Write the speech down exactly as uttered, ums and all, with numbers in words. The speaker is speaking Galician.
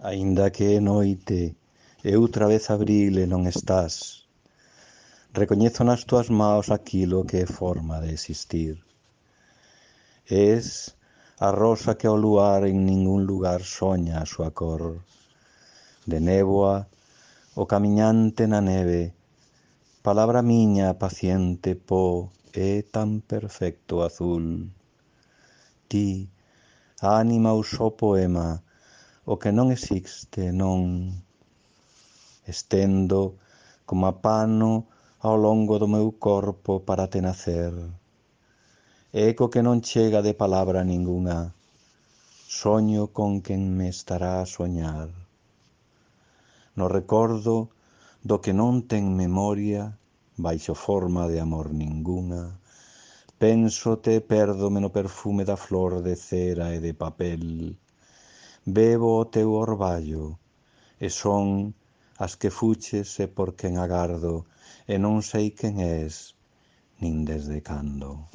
Aínda que é noite e outra vez abril e non estás, recoñezo nas túas maos aquilo que é forma de existir. Es a rosa que ao luar en ningún lugar soña a súa cor. De néboa, o camiñante na neve, palabra miña paciente po é tan perfecto azul. Ti, ánima ou só poema, o que non existe non. Estendo como pano ao longo do meu corpo para te nacer. Eco que non chega de palabra ningunha, soño con quen me estará a soñar. No recordo do que non ten memoria, baixo forma de amor ningunha, pénsote e pérdome no perfume da flor de cera e de papel. Bebo o teu orballo, e son as que fuches e por quen agardo, e non sei quen és, nin desde cando.